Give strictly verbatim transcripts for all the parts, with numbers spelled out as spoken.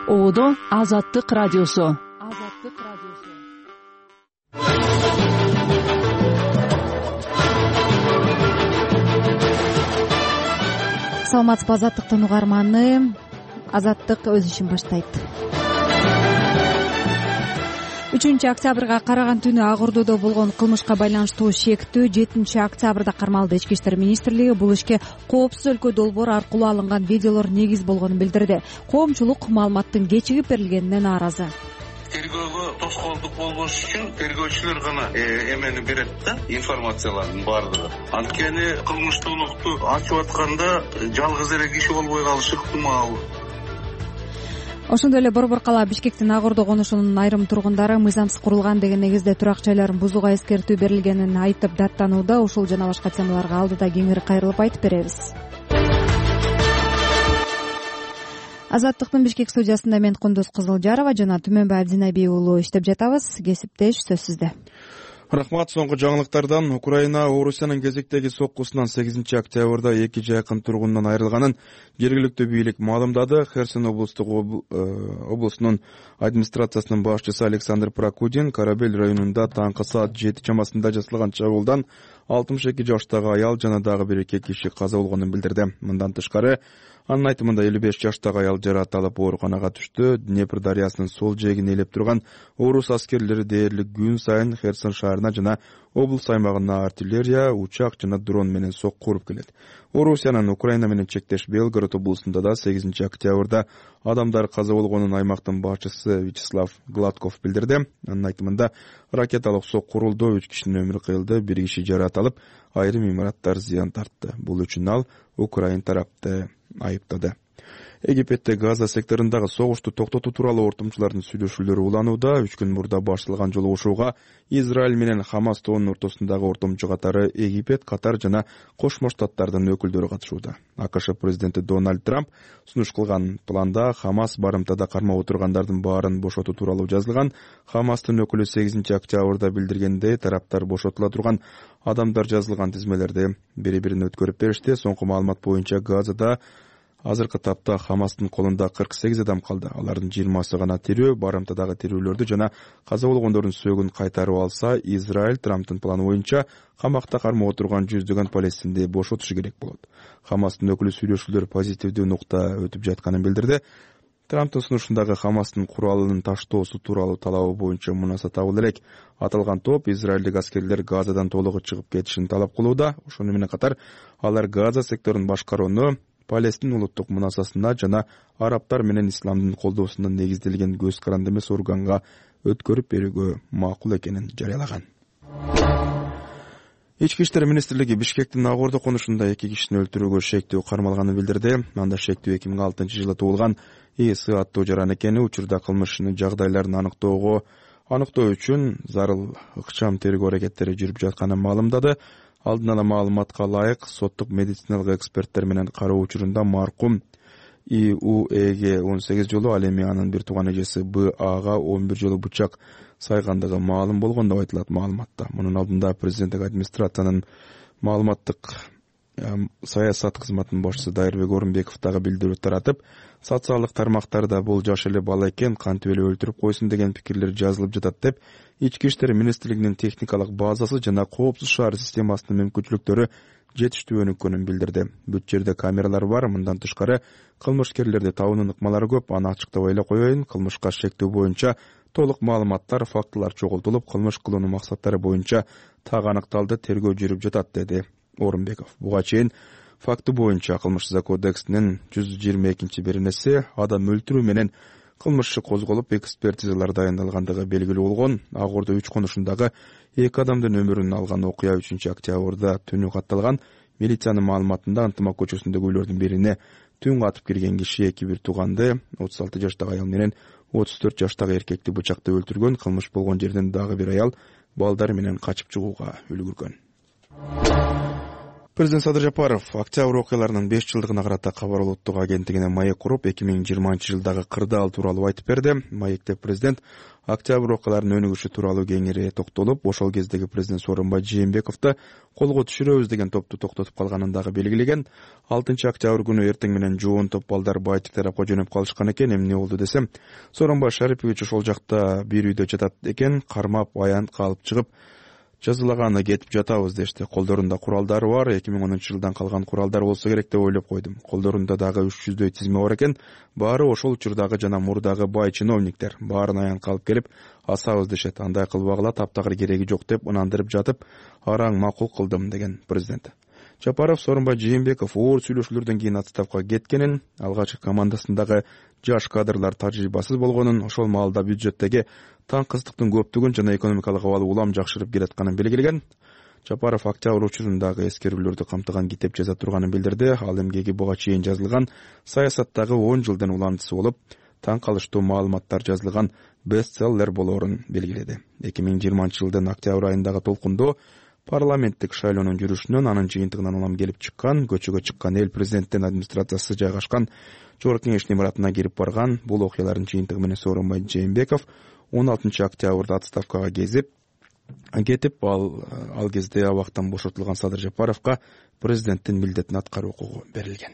Оодо Азаттык радиосу. Азаттык радиосу. Саламатсызбы, Азаттыктын угарманы. Азаттык өз ишин баштайт. үчүнчү октябрга караган түнү Ак Ордодо болгон кылмышка байланыштуу шектүү жетинчи октябрда кармалды. Ички иштер министрлиги бул ишке коопсуз өлкө долбоор аркылуу алынган видеолор негиз болгонун билдирди. Коомчулук маалыматтын кечигип берилгенине нааразы. Тергөөгө тоскоолдук болбош үчүн тергөөчүлөр гана эмени берет да, информациялардын баардыгы. Анткени кылмыштуулукту ачып атканда жалгыз эле киши болбой калышы ыктымал. Ошондой эле Борбор кала Бишкектин Ак Ордо конушунун айрым тургундары мыйзамсыз курулган деген негизде турак жайларын бузууга эскертүү берилгенин айтып даттанууда. Ушул жана башка темаларга алдыда кеңири кайрылып айтып беребиз. Азаттыктын Бишкек студиясында мен Кундуз Кызылжарова жана Түмөнбай Абдинабий уулу иштеп жатабыз. Кесиптеш, сөз сизде. Рахмат. Соңку жаңылыктардан Украина Орусиянын кезектеги соккусунан сегизинчи октябрда эки жакын тургунунан айрылганын жергиликтүү бийлик маалымдады. Херсон облустук облусунун администрациясынын башчысы Александр Прокудин Карабель районунда таңкы саат жети чамасында жасалган чабуулдан алтымыш эки жаштагы аял жана дагы бир эки киши каза болгонун билдирди. Мындан тышкары анын айтымында элүү беш жаштагы аял жараат алып ооруканага түштү. Днепр дарыясынын сол жээгин ээлеп турган орус аскерлери дээрлик күн сайын Херсон шаарына жана облус аймагына артиллерия, учак жана дрон менен сокку уруп келет. Орусиянын Украина менен чектеш Белгород облусунда да сегизинчи октябрда адамдар каза болгонун аймактын башчысы Вячеслав Гладков билдирди. Анын айтымында ракеталык сокку урулду, үч кишинин өмүрү кыйылды, бир киши жараат алып, айрым имараттар зыян тартты. Бул үчүн ал Украин тарапты айыптады. Египетте Газа секторундагы согушту токтотуу тууралуу ортомчулардын сүйлөшүүлөрү уланууда. Үч күн мурда башталган жолугушууга Израиль менен Хамас тобунун ортосундагы ортомчу катары Египет, Катар жана Кошмо Штаттардын өкүлдөрү катышууда. АКШ президенти Дональд Трамп сунуш кылган планда Хамас барымтада кармап отургандардын баарын бошотуу тууралуу жазылган. Хамастын өкүлү сегизинчи октябрда билдиргендей, тараптар бошотула турган адамдар жазылган тизмелерди бири-бирине өткөрүп беришти. Соңку маалымат боюнча Газада азыркы тапта Хамастын колунда кырк сегиз адам калды. Алардын жыйырмасы гана тирүү. Барымтадагы тирүүлөрдү жана каза болгондордун сөөгүн кайтарып алса, Израиль Трамптын планы боюнча камакта кармап отурган жүздөгөн палестинди бошотушу керек болот. Хамастын өкүлү сүйлөшүүлөр позитивдүү нукта өтүп жатканын билдирди. Трамптын сунушундагы Хамастын куралынын таштоосу тууралуу талабы боюнча мунаса табыл элек. Аталган топ израилдик аскерлер Газадан толугу чыгып кетишин талап кылууда. Ошону менен катар алар Газа секторун башкарууну Палестин улуттук мунасасына жана арабтар менен исламдын колдоосуна негизделген көз каранды эмес органга өткөрүп берүүгө макул экенин жарыялаган. Ички иштер министрлиги Бишкектин Ак Ордо конушунда эки кишини өлтүрүүгө шектүү кармалганын билдирди. Анда шектүү эки миң алтынчы жылы туулган ИС аттуу жаран экени, учурда кылмыштын жагдайларын аныктоого аныктоо үчүн зарыл ыкчам тергөө аракеттери жүрүп жатканын маалымдады. Алдын ала маалыматка ылайык, соттук медициналык эксперттер менен кароо учурунда маркум И У Эге он сегиз жолу, ал эми анын бир тууган эжеси Б Ага он бир жолу бычак сайгандыгы маалым болгон деп айтылат маалыматта. Мунун алдында президенттик администрациянын маалыматтык саясат кызматынын башчысы Дайырбек Орунбеков дагы билдирүү таратып, социалдык тармактарда бул жаш эле бала экен, кантип эле өлтүрүп койсун деген пикирлер жазылып жатат деп, Ички иштер министрлигинин техникалык базасы жана коопсуз шаар системасынын мүмкүнчүлүктөрү жетиштүү өнүккөнүн билдирди. Бүт жерде камералар бар. Мындан тышкары кылмышкерлерди табуунун ыкмалары көп. Аны ачыктабай эле коеюн. Кылмышка шектүү боюнча толук маалыматтар, фактылар чогултулуп, кылмыш кылуунун максаттары боюнча так аныкталды, тергөө жүрүп жатат, деди Орунбеков. Буга чейин факты боюнча Кылмыш кодексинин жүз жыйырма экинчи беренеси адам өлтүрүү менен кылмыш козголуп, экспертизалар дайындалгандыгы белгилүү болгон. Ак Ордо үч конушундагы эки адамдын өмүрүн алган окуя үчүнчү октябрда түнү катталган. Милициянын маалыматында Антымак көчөсүндөгү үйлөрдүн бирине түн катып кирген киши эки бир тууганды, отуз алты жаштагы аял менен отуз төрт жаштагы эркекти бычактап өлтүргөн. Кылмыш болгон жерден дагы бир аял балдары менен качып чыгууга үлгүргөн. Президент Садыр Жапаров октябрь окуяларынын беш жылдыгына карата Кабар улуттук агенттигине маек куруп, эки миң жыйырманчы жылдагы кырдаал тууралуу айтып берди. Маекте президент октябрь окуяларынын өнүгүшү тууралуу кеңири токтолуп, ошол кездеги президент Сооронбай Жээнбековду колго түшүрөбүз деген топту токтотуп калганын дагы белгилеген. алтынчы октябрь күнү эртең менен жоон топ балдар Баатик тарапка жөнөп калышкан экен. Эмне болду десем, Сооронбай Шарипович ошол жакта бир үйдө жатат экен, кармап аянтка алып чыгып жазылаганы кетип жатабыз дешти. Колдорунда куралдары бар, эки миң онунчу жылдан калган куралдар болсо керек деп ойлоп койдум. Колдорунда дагы үч жүздөй тизме бар экен. Баары ошол учурдагы жана мурдагы бай чиновниктер. Баарын аянтка алып келип асабыз дешет. Андай кылбагыла, таптагыр кереги жок деп ынандырып жатып, араң макул кылдым деген президент. Жапаров Сооронбай Жээнбеков оор сүйлөшүүлөрдөн кийин отставкага кеткенин, алгачкы командасындагы жаш кадрлар тажрыйбасыз болгонун, ошол маалда бюджеттеги таңкыздыктын көптүгүн жана экономикалык абалы улам жакшырып келатканын белгилеген. Жапаров октябрь учурундагы эскерүүлөрдү камтыган китеп жаза турганын билдирди. Ал эмгеги буга чейин жазылган саясаттагы он жылдын уландысы болуп, таң калыштуу маалыматтар жазылган бестселлер болоорун белгиледи. эки миң жыйырманчы жылдын октябрь айындагы толкундоо парламенттик шайлоонун жүрүшүнөн, анын жыйынтыгынан улам келип чыккан, көчөгө чыккан эл президенттин администрациясы жайгашкан Жогорку Кеңештин имаратына кирип барган. Бул окуялардын жыйынтыгы менен Сооронбай Жээнбеков он алтынчы октябрда отставкага кезип кетип, ал ал кезде абактан бошотулган Садыр Жапаровго президенттин милдетин аткаруу укугу берилген.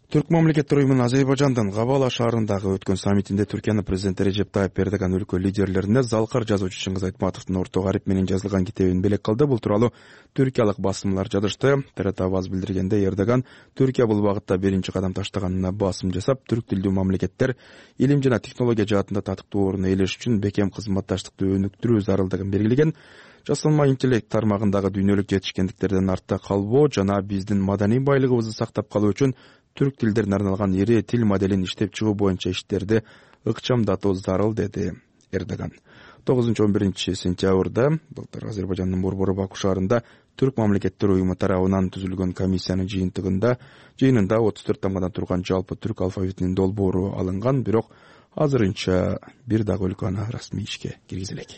Түрк мамлекеттер уюмунун Азербайжандын Габала шаарындагы өткөн саммитинде Түркиянын президенти Режеп Тайып Эрдоган өлкө лидерлерине залкар жазуучу Чыңгыз Айтматовдун орто гарип менен жазылган китебин белек кылды. Бул тууралуу түркиялык басымлар жазышты. ТРТ АВАЗ билдиргенде, Эрдоган Түркия бул багытта биринчи кадам таштаганына басым жасап, түрк тилдүү мамлекеттер илим жана технология жаатында татыктуу орун ээлеш үчүн бекем кызматташтыкты өнүктүрүү зарылдыгын белгилеген. Жасалма интеллект тармагындагы дүйнөлүк жетишкендиктерден артта калбоо жана биздин маданий байлыгыбызды сактап калуу үчүн түрк тилдерине арналган ири тил моделин иштеп чыгуу боюнча иштерди ыкчамдатуу зарыл, деди Эрдоган. тогузунчу он биринчи сентябрда былтыр Азербайжандын борбору Баку шаарында Түрк мамлекеттер уюму тарабынан түзүлгөн комиссиянын жыйынтыгында жыйынында отуз төрт тамгадан турган жалпы түрк алфавитинин долбоору алынган, бирок азырынча бир дагы өлкө аны расмий ишке киргизе элек.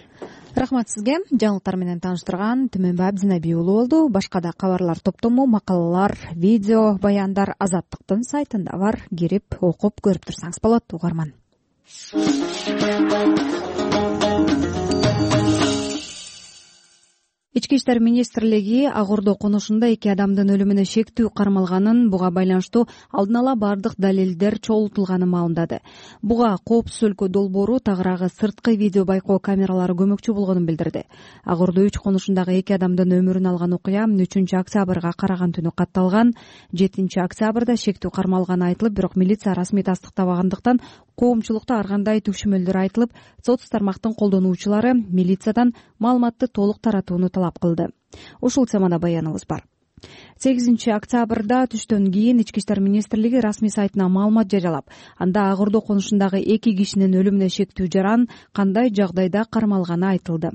Рахмат сизге. Жаңылыктар менен тааныштырган Түмөнбай Абдинаби уулу болду. Башка да кабарлар топтому, макалалар, видео, баяндар Азаттыктын сайтында бар. Кирип окуп көрүп турсаңыз болот, угарман. Ички иштер министрлиги Ак Ордо конушунда эки адамдын өлүмүнө шектүү кармалганын, буга байланыштуу алдын ала бардык далилдер чогултулганын маалымдады. Буга Коопсуз өлкө долбоору тагыраагы сырткы видео байкоо камералары көмөкчү болгонун билдирди. Ак Ордо үч конушундагы эки адамдын өмүрүн алган окуя үчүнчү октябрга караган түнү катталган. жетинчи октябрда шектүү кармалганы айтылып, бирок милиция расмий тастыктабагандыктан коомчулукта ар кандай түшүмөлдөр айтылып, соц тармактын колдонуучулары милициядан маалыматты толук таратууну талап кылды. Ушул темада баяныбыз бар. сегизинчи октябрда түштөн кийин Ички иштер министрлиги расмий сайтына маалымат жарыялап, анда Ак Ордо конушундагы эки кишинин өлүмүнө шектүү жаран кандай жагдайда кармалганы айтылды.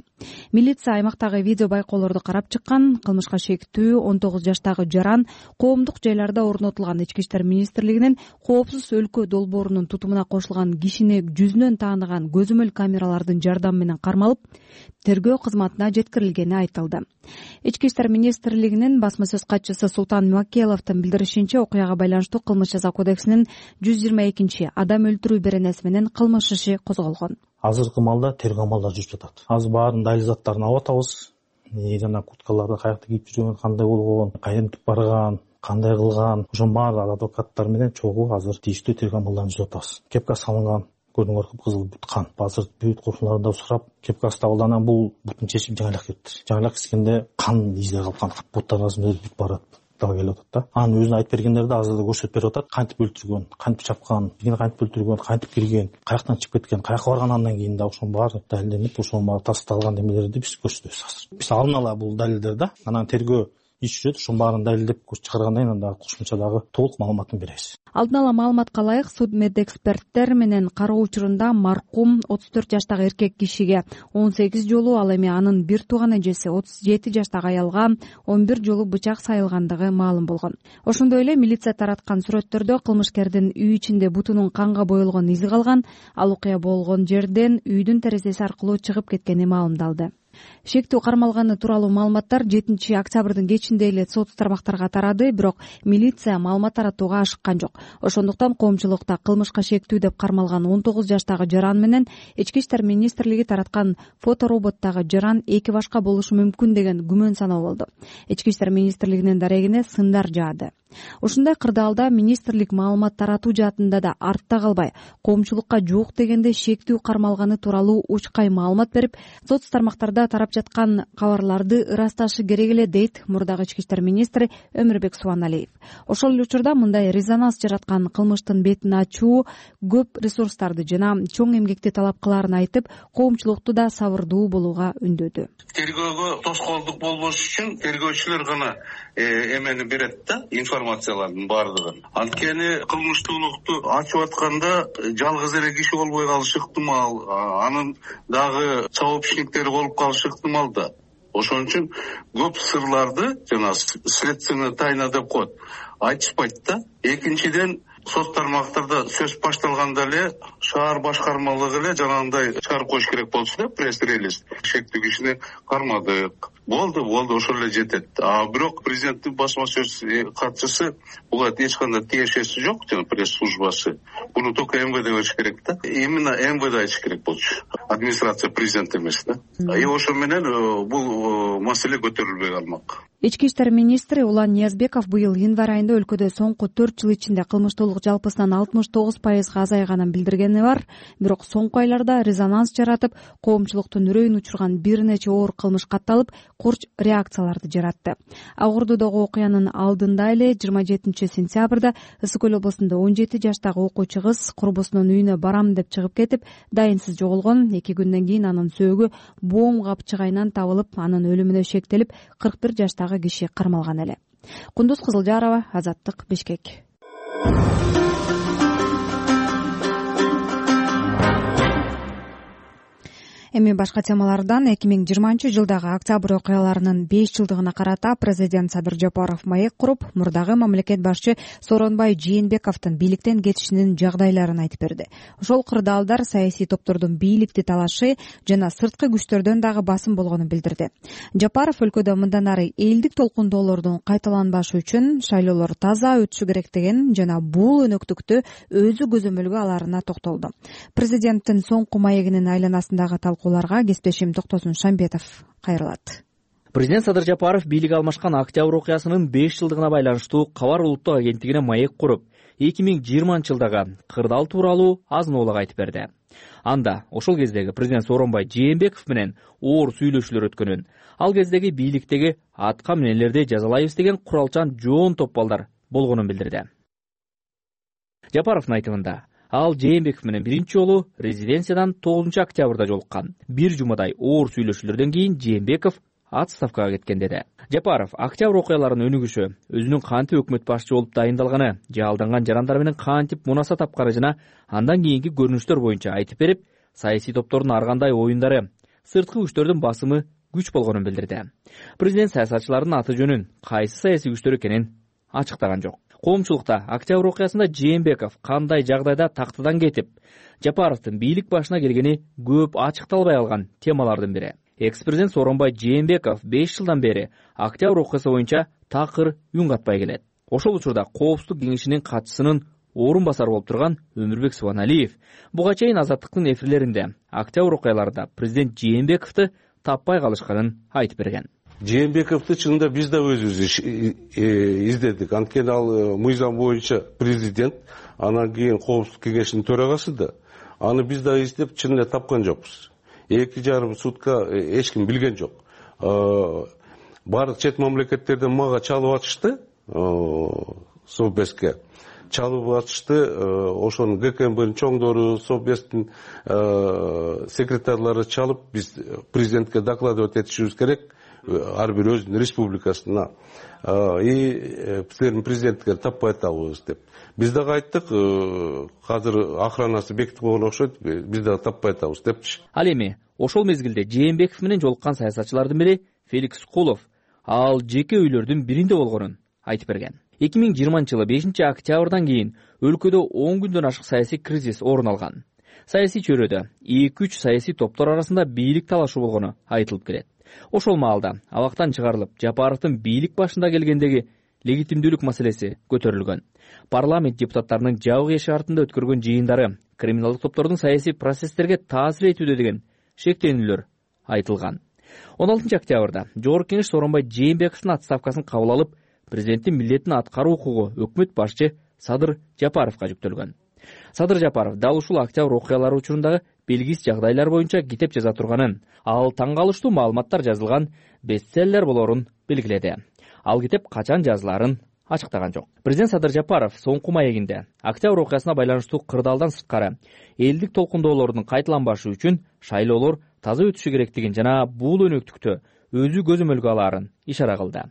Милиция аймактагы видео байкоолорду карап чыккан. Кылмышка шектүү он тогуз жаштагы жаран коомдук жайларда орнотулган Ички иштер министрлигинин Коопсуз өлкө долбоорунун тутумуна кошулган кишини жүзүнөн тааныган көзөмөл камералардын жардамы менен кармалып, тергөө кызматына жеткирилгени айтылды. Ички иштер министрлигинин басма сөз катчысы Султан Макеловдун билдиришинче, окуяга байланыштуу Кылмыш жаза кодексинин жүз жыйырма экинчи адам өлтүрүү беренеси менен кылмыш иши козголгон. Азыркы маалда тергөө амалдары жүрүп жатат. Азыр баарын далил заттарын алып атабыз. Жана курткаларды каякта кийип жүргөн, кандай болгон, кайдан барган, кандай кылган, ошонун баары адвокаттар менен чогуу азыр тийиштүү тергөө амалдарын жүрүп атабыз. Кепка салынган, көрдүңөр, кыпкызыл бут кан. Азыр бүт курсуларда сурап, кепкасы табылгандан бул бутун чечип жаңылак кетти. Жаңылак кескенде кан издери калган, буттар арасында бүт барат. Дагы келип атат да. Анын өзүн айтып бергендер да азыр да көрсөтүп берип атат. Кантип өлтүргөн, кантип чапкан, кийин кантип өлтүргөн, кантип кирген, каяктан чыгып кеткен, каяка барган, андан кийин да ошонун баары далилденип, ошонун баары тасталган демелерди биз көрсөтөбүз азыр. Биз алдын ала бул далилдер да, анан тергөө иш жүрөт, ошонун баарын далилдеп чыгаргандан кийин анда кошумча дагы толук маалыматын беребиз. Алдын ала маалыматка ылайык, судмедэксперттер менен кароо учурунда маркум отуз төрт жаштагы эркек кишиге он сегиз жолу, ал эми анын бир тууган эжеси отуз жети жаштагы аялга он бир жолу бычак сайылгандыгы маалым болгон. Ошондой эле милиция тараткан сүрөттөрдө кылмышкердин үй ичинде бутунун канга боелгон изи калган. Ал окуя болгон жерден үйдүн терезеси аркылуу чыгып кеткени маалымдалды. Шектүү кармалганы тууралуу маалыматтар жетинчи октябрдын кечинде эле соц тармактарга тарады, бирок милиция маалымат таратууга ашыккан жок. Ошондуктан коомчулукта кылмышка шектүү деп кармалган он тогуз жаштагы жаран менен Ички иштер министрлиги тараткан фотороботтогу жаран эки башка болушу мүмкүн деген күмөн саноо болду. Ички иштер министрлигинин дарегине сындар жаады. Ушундай кырдаалда министрлик маалымат таратуу жаатында да артта калбай, коомчулукка жок дегенде шектүү кармалганы тууралуу учкай маалымат берип, соц тармактарда тарап жаткан кабарларды ырасташы керек эле, дейт мурдагы ички иштер министри Өмүрбек Субаналиев. Ошол эле учурда мындай резонанс жараткан кылмыштын бетин ачуу көп ресурстарды жана чоң эмгекти талап кылаарын айтып, коомчулукту да сабырдуу болууга үндөдү. Тергөөгө тоскоолдук болбош үчүн тергөөчүлөр гана эмени берет да, информациялардын баардыгын. Анткени кылмыштуулукту ачып атканда жалгыз эле киши болбой калышы ыктымал, анын дагы сообщниктери болуп калышы ыктымал да. Ошон үчүн көп сырларды, жана следственная тайна деп коет, айтышпайт да. Экинчиден, соц тармактарда сөз башталганда эле шаар башкармалыгы эле жанагындай чыгарып коюш керек болчу да, пресс-релиз. Шектүү кишини кармадык. Болду, болду, ошол эле жетет. А бирок президенттин басма сөз катчысы буга эч кандай тиешеси жок, жана пресс-службасы. Буну только эм вэ дэ бериш керек да. Именно эм вэ дэ айтыш керек болчу. Администрация президент эмес да. И ошо менен бул маселе көтөрүлбөй калмак. Ички иштер министри Улан Ниязбеков быйыл январь айында өлкөдө соңку төрт жыл ичинде кылмыштуулук жалпысынан алтымыш тогуз пайызга азайганын билдиргени бар, бирок соңку айларда резонанс жаратып, коомчулуктун үрөйүн учурган бир нече оор кылмыш катталып, курч реакцияларды жаратты. Ак Ордодогу окуянын алдында эле жыйырма жетинчи сентябрда Ысык Көл облусунда он жети жаштагы окуучу кыз курбусунун үйүнө барам деп чыгып кетип, дайынсыз жоголгон. эки күндөн кийин анын сөөгү боом капчыгайынан табылып, анын өлүмүнө шектелип, кырк бир жаштагы киши кармалган эле. Кундуз Кызылжарова, Азаттык, Бишкек. Эми башка темалардан эки миң жыйырманчы жылдагы октябрь окуяларынын беш жылдыгына карата президент Садыр Жапаров маек куруп, мурдагы мамлекет башчы Сооронбай Жээнбековдун бийликтен кетишинин жагдайларын айтып берди. Ошол кырдаалдар саясий топтордун бийликти талашы жана сырткы күчтөрдөн дагы басым болгонун билдирди. Жапаров өлкөдө мындан ары элдик толкундоолордун кайталанбашы үчүн шайлоолор таза өтүшү керек деген жана бул өнөктүктү өзү көзөмөлгө аларына токтолду. Президенттин соңку маегинин айланасындагы талкууларга кесиптешим Токтосун Шамбетов кайрылат. Президент Садыр Жапаров бийлик алмашкан октябрь окуясынын беш жылдыгына байланыштуу Кабар улуттук агенттигине маек куруп, эки миң жыйырманчы жылдагы кырдаал тууралуу азын-оолак айтып берди. Анда ошол кездеги президент Сооронбай Жээнбеков менен оор сүйлөшүүлөр өткөнүн, ал кездеги бийликтеги атка минелерди жазалайбыз деген куралчан жоон топ балдар болгонун билдирди. Жапаровдун айтымында, ал Жээнбеков менен биринчи жолу резиденциядан тогузунчу октябрда жолуккан. Бир жумадай оор сүйлөшүүлөрдөн кийин Жээнбеков отставкага кеткен деди. Жапаров октябрь окуяларынын өнүгүшү, өзүнүн кантип өкмөт башчы болуп дайындалганы, жалданган жарандар менен кантип мунаса тапканы жана андан кийинки көрүнүштөр боюнча айтып берип, саясий топтордун ар кандай оюндары, сырткы күчтөрдүн басымы күч болгонун билдирди. Президент саясатчылардын аты жөнүн, кайсы саясий күчтөр экенин ачыктаган жок. Коомчулукта октябрь окуясында Жээнбеков кандай жагдайда тактыдан кетип, Жапаровдун бийлик башына келгени көп ачыкталбай калган темалардын бири. Экс-президент Сооронбай Жээнбеков беш жылдан бери октябрь окуясы боюнча такыр үн катпай келет. Ошол учурда Коопсуздук кеңешинин катчысынын орун басары болуп турган Өмүрбек Субаналиев буга чейин Азаттыктын эфирлеринде октябрь окуяларында президент Жээнбековду таппай калышканын айтып берген. Жээнбековду чынында биз да өзүбүз издедик. Анткени ал мыйзам боюнча президент, анан кийин Коопсуздук кеңешинин төрагасы да. Аны биз да издеп чын эле тапкан жокпуз. Эки жарым сутка эч ким билген жок. Баардык чет мамлекеттерден мага чалып атышты, Совбезге чалып атышты. Ошонун гэ ка эм бнын чоңдору, Совбездин секретарлары чалып, биз президентке докладывать этишибиз керек. Ар бир өзүнүн республикасына. И силердин президентке таппай атабыз деп. Биз дагы айттык, азыр охранасы бекитип койгон окшойт, биз дагы таппай атабыз депчи. Ал эми ошол мезгилде Жээнбеков менен жолуккан саясатчылардын бири Феликс Кулов, ал жеке үйлөрдүн биринде болгонун айтып берген. эки миң жыйырманчы жылы бешинчи октябрдан кийин өлкөдө он күндөн ашык саясий кризис орун алган. Саясий чөйрөдө эки үч саясий топтор арасында бийлик талашы болгону айтылып келет. Ошол маалда абактан чыгарылып, Жапаровдун бийлик башында келгендеги легитимдүүлүк маселеси көтөрүлгөн. Парламент депутаттарынын жабык эшик артында өткөргөн жыйындары криминалдык топтордун саясий процесстерге таасир этүүдө деген шектенүүлөр айтылган. он алтынчы октябрда Жогорку Кеңеш Сооронбай Жээнбековдун отставкасын кабыл алып, президенттин милдетин аткаруу укугу өкмөт башчы Садыр Жапаровго жүктөлгөн. Садыр Жапаров дал ушул октябрь окуялары учурундагы белгисиз жагдайлар боюнча китеп жаза турганын, ал таң калыштуу маалыматтар жазылган бестселлер болорун белгиледи. Ал китеп качан жазылаарын ачыктаган жок. Президент Садыр Жапаров соңку маегинде октябрь окуясына байланыштуу кырдаалдан сырткары элдик толкундоолордун кайталанбашы үчүн шайлоолор таза өтүшү керектигин жана бул өнөктүктө өзү көзөмөлгө алаарын ишара кылды.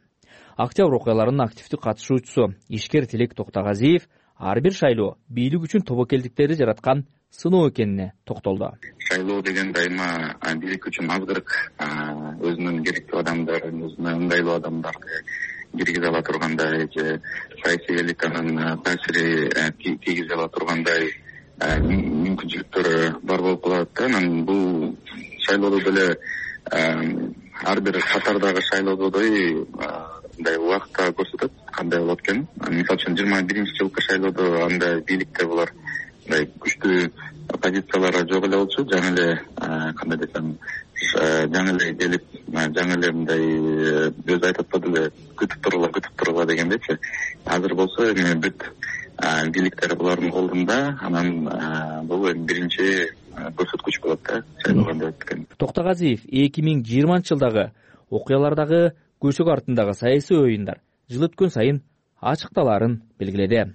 Октябрь окуяларынын активдүү катышуучусу ишкер Тилек Токтогазиев ар бир шайлоо бийлик үчүн тобокелдиктерди жараткан сыноо экенине токтолду. Шайлоо деген дайыма бийлик үчүн азгырык, өзүнүн керектүү адамдарын, өзүнүн ыңгайлуу адамдарды киргизе ала тургандай же саясий элитанын таасири тийгизе ала тургандай мүмкүнчүлүктөр бар болуп калат да. Анан бул шайлоодо деле ар бир катардагы шайлоодой мындай убакта көрсөтөт кандай болот экенин. Мисалы үчүн жыйырма биринчи жылкы шайлоодо андай бийликте булар мындай күчтүү позициялары жок эле болчу. Жаңы эле кандай десем, жаңы эле келип, жаңы эле мындай өзү айтып атпады эле, күтүп тургула, күтүп тургула дегендейчи. Азыр болсо эми бүт бийликтер булардын колунда, анан бул эми биринчи көрсөткүч болот да, шайлоо кандай өтүп экен. Токтогазиев эки миң жыйырманчы жылдагы окуялардагы көчөк артындагы саясий оюндар жыл өткөн сайын ачыкталаарын белгиледи.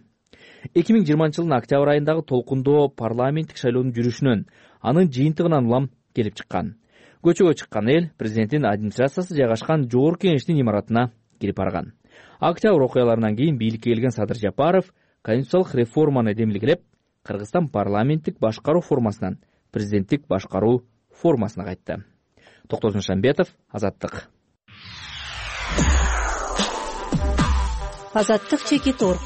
эки миң жыйырманчы жылдын октябрь айындагы толкундоо парламенттик шайлоонун жүрүшүнөн, анын жыйынтыгынан улам келип чыккан. Көчөгө чыккан эл президенттин администрациясы жайгашкан Жогорку Кеңештин имаратына кирип барган. Октябрь окуяларынан кийин бийликке келген Садыр Жапаров конституциялык реформаны демилгелеп, Кыргызстан парламенттик башкаруу формасынан президенттик башкаруу формасына кайтты. Токтосун Шамбетов, Азаттык. Азаттык чекит орг.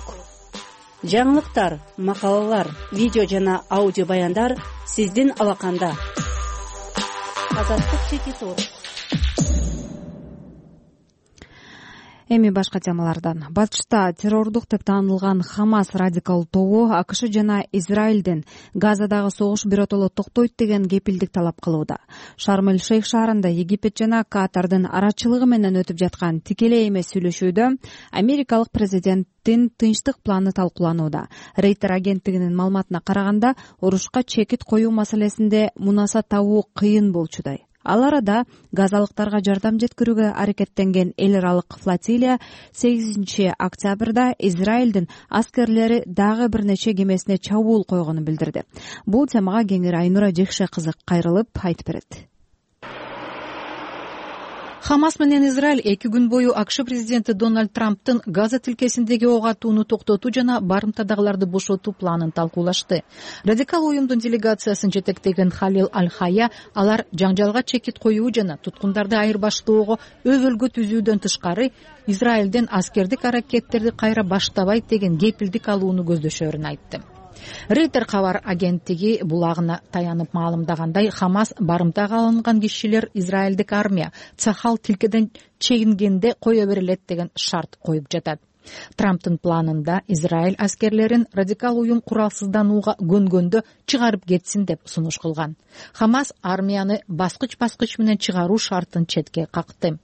Жаңылыктар, макалалар, видео жана аудио баяндар сиздин алаканда. Азаттык чекит орг. Эми башка темалардан. Батышта террордук деп таанылган Хамас радикал тобу АКШ жана Израилдин Газадагы согуш биротоло токтойт деген кепилдик талап кылууда. Шарм-эль-Шейх шаарында Египет жана Катардын арачылыгы менен өтүп жаткан тикелей эмес сүйлөшүүдө америкалык президенттин тынчтык планы талкууланууда. Рейтер агенттигинин маалыматына караганда, урушка чекит коюу маселесинде мунаса табуу кыйын болчудай. Ал арада газалыктарга жардам жеткирүүгө аракеттенген эл аралык флотилия сегизинчи октябрда Израилдин аскерлери дагы бир нече кемесине чабуул койгонун билдирди. Бул темага кеңири Айнура Жекше кызы кайрылып айтып берет. Хамас менен Израиль эки күн бою АКШ президенти Дональд Трамптын Газа тилкесиндеги ок атууну токтотуу жана барымтадагыларды бошотуу планын талкуулашты. Радикал уюмдун делегациясын жетектеген Халил Аль-Хая алар жаңжалга чекит коюу жана туткундарды айырбаштоого өбөлгө түзүүдөн тышкары Израилден аскердик аракеттерди кайра баштабайт деген кепилдик алууну көздөшөрүн айтты. Рейтер кабар агенттиги булагына таянып маалымдагандай, Хамас барымтага алынган кишилер Израилдик армия Цахал тилкеден чегингенде кое берилет деген шарт коюп жатат. Трамптын планында Израиль аскерлерин радикал уюм куралсызданууга көнгөндө чыгарып кетсин деп сунуш кылган. Хамас армияны баскыч-баскыч менен чыгаруу шартын четке какты.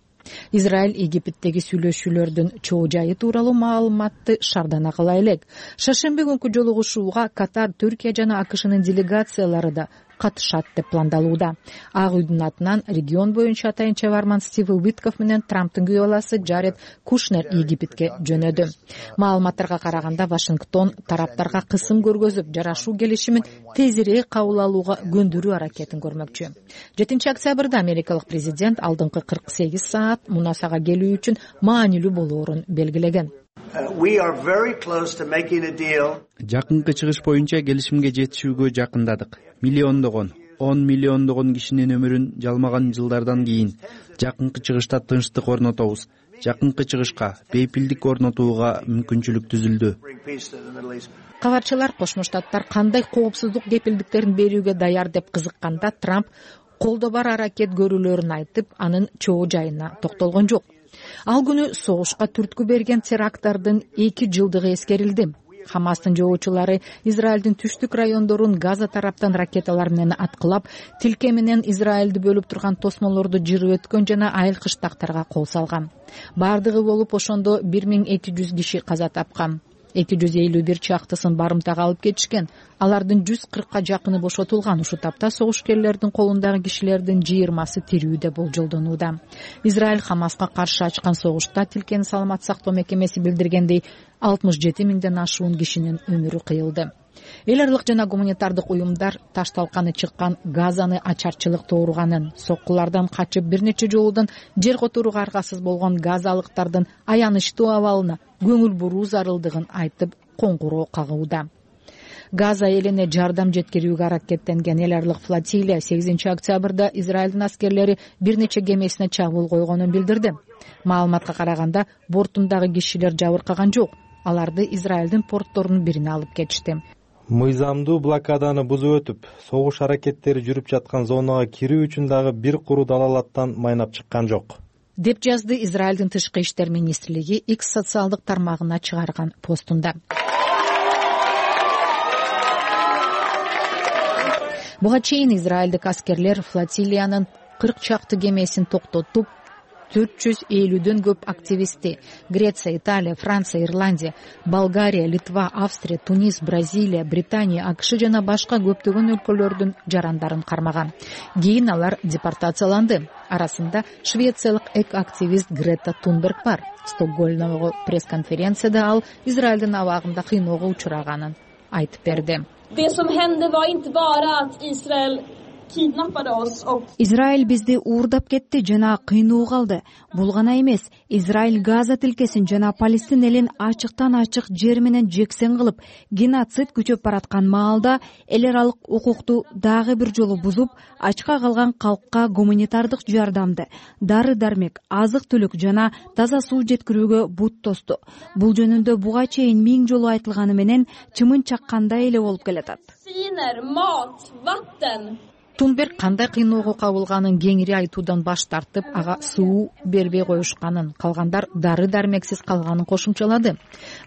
Израиль Египеттеги сүйлөшүүлөрдүн чоо жайы тууралуу маалыматты шардана кыла элек. Шаршемби күнкү жолугушууга Катар, Түркия жана АКШнын делегациялары да катышат деп пландалууда. Ак үйдүн атынан регион боюнча атайын чабарман Стив Уитков менен Трамптын күйөө баласы Джаред Кушнер Египетке жөнөдү. Маалыматтарга караганда Вашингтон тараптарга кысым көргөзүп, жарашуу келишимин тезирээк кабыл алууга көндүрүү аракетин көрмөкчү. жетинчи октябрда америкалык президент алдыңкы кырк сегиз саат мунасага келүү үчүн маанилүү болоорун белгилеген. Жакынкы чыгыш боюнча келишимге жетишүүгө жакындадык. Миллиондогон, он миллиондогон кишинин өмүрүн жалмаган жылдардан кийин жакынкы чыгышта тынчтык орнотобуз. Жакынкы чыгышка бейпилдик орнотууга мүмкүнчүлүк түзүлдү. кабарчылар Кошмо Штаттар кандай коопсуздук кепилдиктерин берүүгө даяр деп кызыкканда Трамп колдо бар аракет көрүүлөрүн айтып, анын чоо жайына токтолгон жок. Ал күнү согушка түрткү берген теракттардын эки жылдыгы эскерилди. Хамастын жоочулары Израилдин түштүк райондорун Газа тараптан ракеталар менен аткылап, тилке менен Израилди бөлүп турган тосмолорду жырып өткөн жана айыл кыштактарга кол салган. Бардыгы болуп ошондо бир миң эки жүз киши каза тапкан. эки жүз элүү бир чактысын барымтага алып кетишкен. Алардын жүз кыркка жакыны бошотулган. Ушул тапта согушкерлердин колундагы кишилердин жыйырмасы тирүү деп болжолдонууда. Израиль Хамаска каршы ачкан согушта тилкени саламат сактоо мекемеси билдиргендей алтымыш жети миңден ашуун кишинин өмүрү кыйылды. Эл аралык жана гуманитардык уюмдар ташталканы чыккан Газаны ачарчылык тооруганын, соккулардан качып бир нече жолудан жер которууга аргасыз болгон газалыктардын аянычтуу абалына көңүл буруу зарылдыгын айтып коңгуроо кагууда. Газа элине жардам жеткирүүгө аракеттенген эл аралык флотилия сегизинчи октябрда Израилдин аскерлери бир нече кемесине чабуул койгонун билдирди. Маалыматка караганда, бортундагы кишилер жабыркаган жок. Аларды Израилдин портторунун бирине алып кетишти. Мыйзамдуу блокаданы бузуп өтүп, согуш аракеттери жүрүп жаткан зонага кирүү үчүн дагы бир куру далалаттан майнап чыккан жок, деп жазды Израилдин тышкы иштер министрлиги X социалдык тармагына чыгарган постунда. Буга чейин израилдик аскерлер флотилиянын кырк чакты кемесин токтотуп, төрт жүз элүүдөн көп активистти Греция, Италия, Франция, Ирландия, Болгария, Литва, Австрия, Тунис, Бразилия, Британия, АКШ жана башка көптөгөн өлкөлөрдүн жарандарын кармаган. Кийин алар депортацияланды. Арасында швециялык эк-активист Грета Тунберг бар. Стокгольмдогу пресс-конференцияда ал Израилдин абагында кыйноого учураганын айтып берди. Det som hände var inte bara att Israel kidnappade oss och Израиль бизди уурдап кетти жана кыйноого алды. Бул гана эмес, Израиль Газа тилкесин жана Палестин элин ачыктан ачык жер менен жексен кылып, геноцид күчөп бараткан маалда эл аралык укукту дагы бир жолу бузуп, ачка калган калкка гуманитардык жардамды, дары-дармек, азык-түлүк жана таза суу жеткирүүгө бут тосту. Бул жөнүндө буга чейин миң жолу айтылганы менен чымын чаккандай эле болуп келатат. Mat, vatten. Тунберг кандай кыйноого кабылганын кеңири айтуудан баш тартып, ага суу бербей коюшканын, калгандар дары-дармексиз калганын кошумчалады.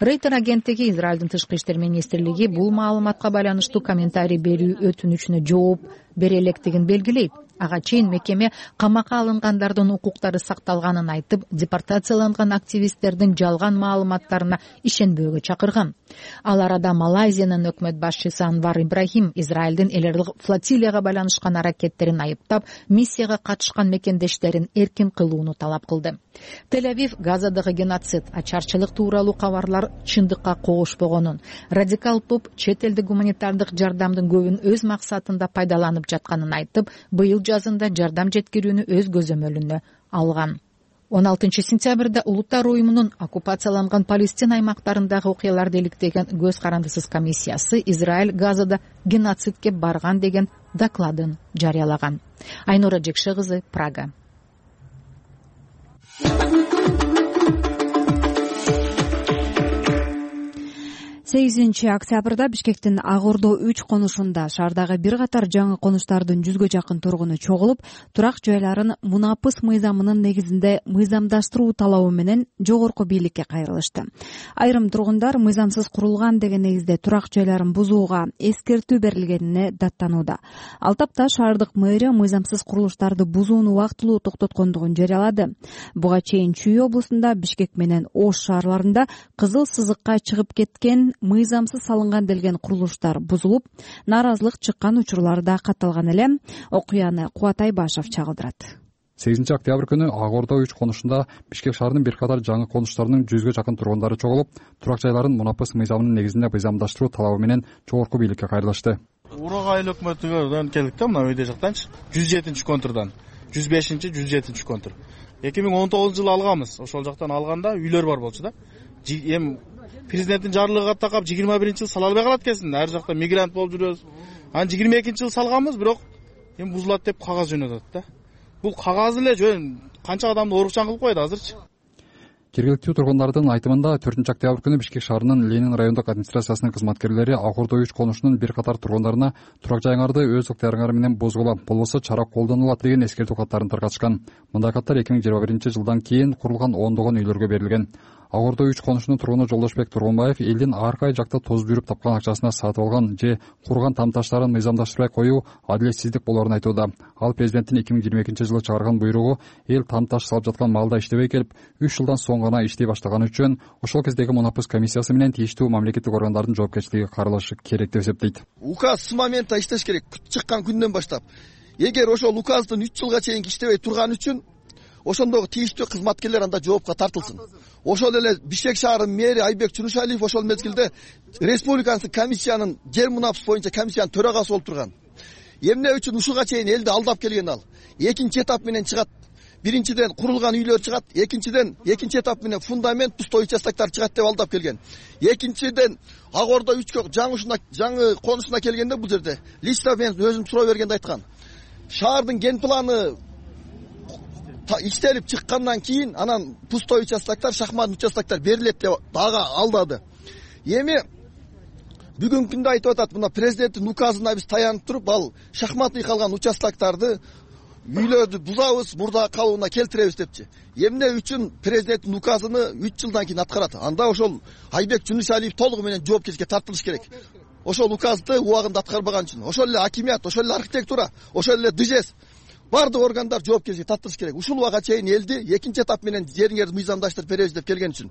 Рейтер агенттиги Израилдин тышкы иштер министрлиги бул маалыматка байланыштуу комментарий берүү өтүнүчүнө жооп бере электигин белгилейт. Ага чейин мекеме камакка алынгандардын укуктары сакталганын айтып, депортацияланган активисттердин жалган маалыматтарына ишенбөөгө чакырган. Ал арада Малайзиянын өкмөт башчысы Анвар Ибрахим Израилдин эл аралык флотилияга байланышкан аракеттерин айыптап, миссияга катышкан мекендештерин эркин кылууну талап кылды. Тель-Авив Газадагы геноцид, ачарчылык тууралуу кабарлар чындыкка когушпогонун, радикал топ чет элдик гуманитардык жардамдын көбүн өз максатында пайдаланып жатканын айтып, быйыл жазында жардам жеткирүүнү өз көзөмөлүнө алган. он алтынчы сентябрда Улуттар уюмунун оккупацияланган Палестина аймактарындагы окуяларды иликтеген көз карандысыз комиссиясы Израиль Газада геноцидке барган деген докладын жарыялаган. Айнура Жекше кызы, Прага. сегизинчи октябрда Бишкектин Ак Ордо үч конушунда шаардагы бир катар жаңы конуштардын жүзгө жакын тургуну чогулуп, турак жайларын мунапыс мыйзамынын негизинде мыйзамдаштыруу талабы менен жогорку бийликке кайрылышты. Айрым тургундар мыйзамсыз курулган деген негизде турак жайларын бузууга эскертүү берилгенине даттанууда. Ал тапта шаардык мэрия мыйзамсыз курулуштарды бузууну убактылуу токтоткондугун жарыялады. Буга чейин Чүй облусунда, Бишкек менен Ош шаарларында кызыл сызыкка чыгып кеткен мыйзамсыз салынган делген курулуштар бузулуп, нааразылык чыккан учурлар да катталган эле. Окуяны Кубат Айбашев чагылдырат. сегизинчи октябрь күнү Ак Ордо үч конушунда Бишкек шаарынын бир катар жаңы конуштарынын жүзгө жакын тургундары чогулуп, турак жайларын мунапыс мыйзамынын негизинде мыйзамдаштыруу талабы менен жогорку бийликке кайрылышты. Урак айыл өкмөтүнөн келдик да, мына үйдө жактанчы жүз жетинчи контурдан жүз бешинчи жүз жетинчи контур. эки миң он тогузунчу жылы алганбыз. Ошол жактан алганда үйлөр бар болчу да. Эми президенттин жарлыгы такап жыйырма биринчи жыл сала албай калат экенсиң. Ар жакта мигрант болуп жүрөбүз. Анан жыйырма экинчи жыл салганбыз, бирок эми бузулат деп кагаз жөнөтөт да. Бул кагаз эле жөн канча адамды оорукчан кылып коет азырчы. жергиликтүү тургундардын айтымында төртүнчү октябрь күнү Бишкек шаарынын Ленин райондук администрациясынын кызматкерлери ак Ордо үч конушунун бир катар тургундарына турак жайыңарды өз ыктыярыңар менен бузгула, болбосо чара колдонулат деген эскертүү каттарын таркатышкан. Мындай каттар эки миң жыйырма биринчи жылдан кийин курулган ондогон үйлөргө берилген. Ак Ордо үч конушунун тургуну Жолдошбек Тургунбаев элдин ар кай жакта тозуп жүрүп тапкан акчасына сатып алган же курган тамташтарын мыйзамдаштырбай коюу адилетсиздик болоорун айтууда. Ал президенттин эки миң жыйырма экинчи жылы чыгарган буйругу эл тамташ салып жаткан маалда иштебей келип, үч жылдан соң гана иштей баштаганы үчүн ошол кездеги мунапыс комиссиясы менен тийиштүү мамлекеттик органдардын жоопкерчилиги каралышы керек деп эсептейт. Указ с момента иштеш керек, чыккан күндөн баштап. Эгер ошол указдын үч жылга чейин иштебей турган үчүн ошондогу тийиштүү кызматкерлер анда жоопко тартылсын. Ошол эле Бишкек шаарынын мэри Айбек Чунушалиев ошол мезгилде республикалык комиссиянын жер мунапыс боюнча комиссиянын төрагасы болуп турган. Эмне үчүн ушуга чейин элди алдап келген ал? Экинчи этап менен чыгат. Биринчиден курулган үйлөр чыгат, экинчиден экинчи этап менен фундамент, пустой участоктор чыгат деп алдап келген. Экинчиден Ак Ордо үчкө жаңы жаңы конусуна келгенде бул жерде лично мен өзүм суроо бергенде айткан. Шаардын ген планы иштелип чыккандан кийин анан пустой участоктор, шахмат участоктор берилет деп дагы алдады. Эми бүгүнкү күндө айтып атат, мына президенттин указына биз таянып туруп, ал шахматный калган участокторду үйлөрдү бузабыз, мурда калыбына келтиребиз депчи. Эмне үчүн президенттин указыны үч жылдан кийин аткарат? Анда ошол Айбек Чунушалиев толугу менен жоопкерчиликке тартылыш керек. Ошол указды убагында аткарбаган үчүн. Ошол эле акимият, ошол эле архитектура, ошол эле ДЖС бардык органдар жоопкерчиликке тартылыш керек. Ушул убага чейин элди экинчи этап менен жериңерди мыйзамдаштырып беребиз деп келген үчүн.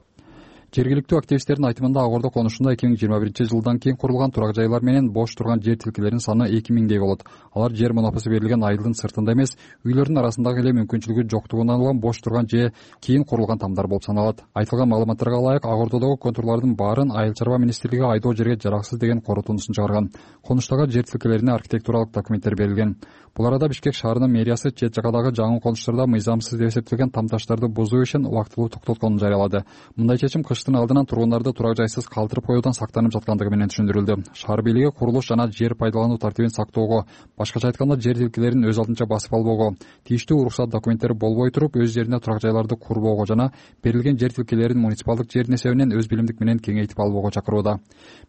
Жергиликтүү активисттердин айтымында Ак Ордо конушунда эки миң жыйырма биринчи жылдан кийин курулган турак жайлар менен бош турган жер тилкелеринин саны эки миңдей болот. Алар жер мунапысы берилген айылдын сыртында эмес, үйлөрдүн арасындагы эле мүмкүнчүлүгү жоктугунан улам бош турган же кийин курулган тамдар болуп саналат. Айтылган маалыматтарга ылайык, Ак Ордодогу контурлардын баарын Айыл чарба министрлиги айдоо жерге жараксыз деген корутундусун чыгарган. Конуштагы жер тилкелерине архитектуралык документтер берилген. Бул арада Бишкек шаарынын мэриясы чет жакадагы жаңы конуштарда мыйзамсыз деп эсептелген тамташтарды бузуу ишин убактылуу токтотконун жарыялады. Мындай чечим кыштын алдынан тургундарды турак жайсыз калтырып коюудан сактанып жаткандыгы менен түшүндүрүлдү. Шаар бийлиги курулуш жана жер пайдалануу тартибин сактоого, башкача айтканда жер тилкелерин өз алдынча басып албоого, тийиштүү уруксат документтери болбой туруп өз жерине турак жайларды курбоого жана берилген жер тилкелерин муниципалдык жердин эсебинен өз билимдик менен кеңейтип албоого чакырууда.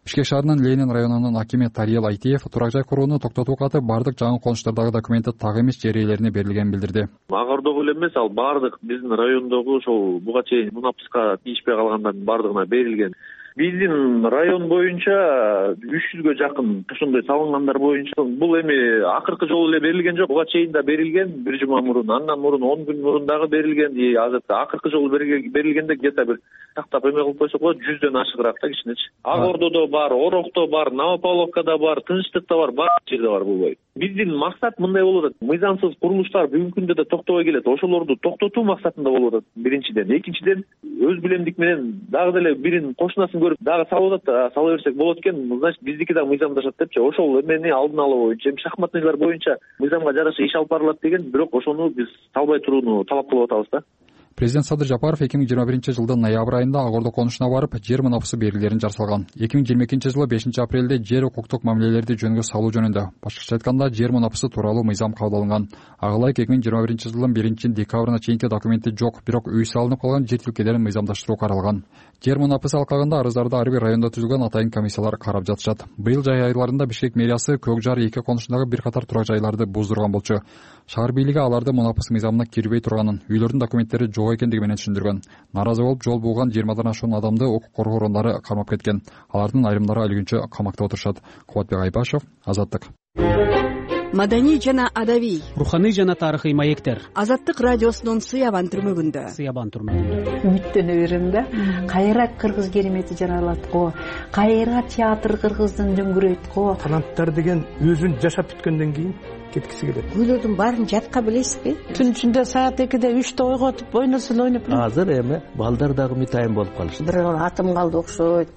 Бишкек шаарынын Ленин районунун акими Тариел Айтиев турак жай курууну токтотуу каты бардык жаңы конуштардагы документи так эмес жер ээлерине берилгенин билдирди. Ак Ордого эле эмес, ал бардык биздин райондогу ошол буга чейин мунапыска тийишпей калгандардын бардыгына берилген. Биздин район боюнча үч жүзгө жакын ушундай салынгандар боюнча бул эми акыркы жолу эле берилген жок. Буга чейин да берилген бир жума мурун, андан мурун он күн мурун дагы берилген. И азыр акыркы жолу берилгенде где-то бир тактап эме кылып койсок болот, жүздөн ашыгыраак да кичинечи. Ак Ордодо бар, Орокто бар, Новопавловкада бар, Тынчтыкта бар, баардык жерде бар бул бой. Биздин максат мындай болуп атат. Мыйзамсыз курулуштар бүгүнкү күндө да токтобой келет. Ошолорду токтотуу максатында болуп атат биринчиден. Экинчиден өз билемдик менен дагы деле бирин кошунасын көрүп дагы салып атат, сала берсек болот экен. Значит, биздики да мыйзамдашат депчи. Ошол эмени алдын алуу боюнча, эми шахматныйлар боюнча мыйзамга жараша иш алып барылат деген, бирок ошону биз салбай турууну талап кылып атабыз да. Президент Садыр Жапаров эки миң жыйырма биринчи жылдын ноябрь айында Ак Ордо конушуна барып, жер мунапысы берилерин жарселган. эки миң жыйырма экинчи жылы бешинчи апрелде жер укуктук мамилелерди жөнгө салуу жөнүндө, башкача айтканда жер мунапысы тууралуу мыйзам кабыл алынган. Ага ылайык эки миң жыйырма биринчи жылдын биринчи декабрына чейинки документи жок, бирок үй салынып калган жер тилкелерин мыйзамдаштыруу каралган. Жер мунапысы алкагында арыздарды ар бир райондо түзүлгөн атайын комиссиялар карап жатышат. Быйыл жай айларында Бишкек мэриясы Көк Жар эки конушундагы бир катар турак жайларды буздурган болчу. Шаар бийлиги аларды мунапыс мыйзамына кирбей турганын, үйлөрдүн документтери жок экендиги менен түшүндүргөн. Наразы болуп жол бууган жыйырмадан ашуун адамды укук коргоо орундары кармап кеткен. Алардын айрымдары өлгүнчө камакта отурушат. Кубатбек Айбашев, Азаттык. Маданий жана адабий, руханий жана тарыхый маектер. Азаттык радиосунун Сыябан түрмөгүндө. Сыябан түрмөгүндө. Үмүттөнө берем да. Кайра кыргыз керемети жаралат го. Кайра театр кыргыздын дөңгүрөйт го. Таланттар деген өзүн жашап бүткөндөн кийин кеткиси келет. Күйлөрдүн баарын жатка билесизби? Түн ичинде саат экиде үчтө ойготуп ойносун ойноп. Азыр эми балдар дагы митайым болуп калышты. Бир атым калды окшойт.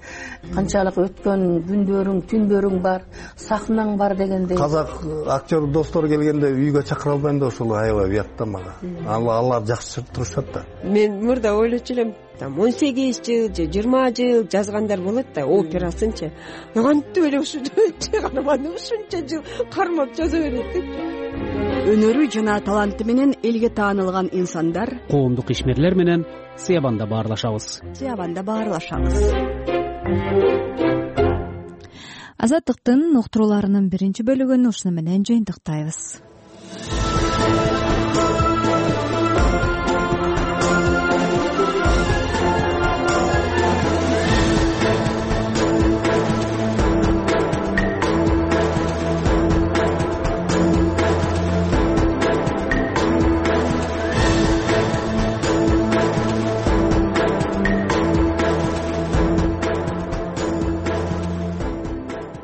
Канчалык өткөн күндөрүң, түндөрүң бар, сахнаң бар дегендей. Казак актер достор келгенде үйгө чакыра албайм да ошол аябай уят да мага. Алар жакшы турушат да. Мен мурда ойлочу элем, там он сегиз жыл же жыйырма жыл жазгандар болот да, операсынчы. Кантип эле ушунча ушунча жыл кармап жаза берет деп. өнөрү жана таланты менен элге таанылган инсандар коомдук ишмерлер менен сыябанда баарлашабыз сыябанда баарлашабыз. Азаттыктын уктурууларынын биринчи бөлүгүн ушуну менен жыйынтыктайбыз.